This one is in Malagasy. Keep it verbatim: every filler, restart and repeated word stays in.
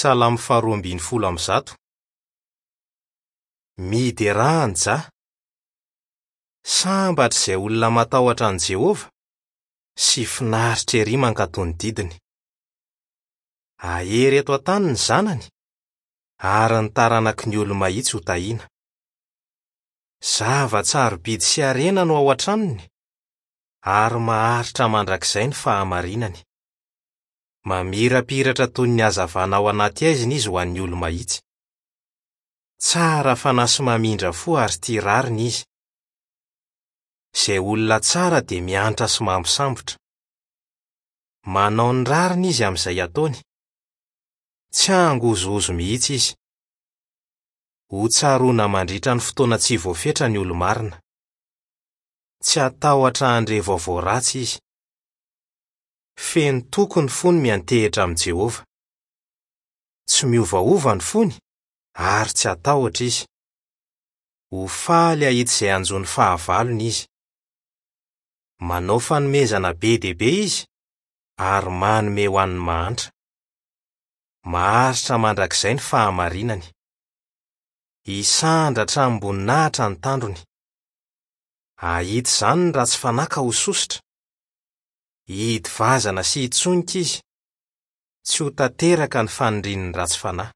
Salamo faharoa ambin'ny folo amby zato. Miderà an'i Jah. Sambatra izay olona matahotra an'i Jehovah sy finaritra ery mankatò ny didiny. Hahery eto an-tany ny zanany, ary ny taranaky ny olo-mahitsy ho tahiana. Zava-tsarobidy sy harena no ao an-tranony, ary maharitra mandrakizay ny fahamarinany. Mamirapiratra toy ny hazavana ao anaty haizina izy ho an'ny olo-mahitsy. Tsara fanahy sy mamindra fo ary tia rariny izy. Izay olona tsara dia miantra sy mampisambotra. Manao ny rariny izy amin'izay ataony. Tsy hangozohozo mihitsy izy. Ho tsaroana mandritra ny fotoana tsy voafetra ny olo-marina. Tsy hatahotra handre vaovao ratsy izy. Feno toky ny fony miantehitra amin'i Jehovah. Tsy miovaova ny fony ary tsy hatahotra izy. Ho faly hahita izay hanjo ny fahavalony izy. Manao fanomezana be dia be izy ary manome ho an'ny mahantra. Maharitra mandrakizay ny fahamarinany. Hisandratra amim-boninahitra ny tandrony. Hahita izany ny ratsy fanahy ka ho sosotra. Hidy vazana sy hitsonika izy. Tsy ho tanteraka ny fanirian'ny ratsy fanahy.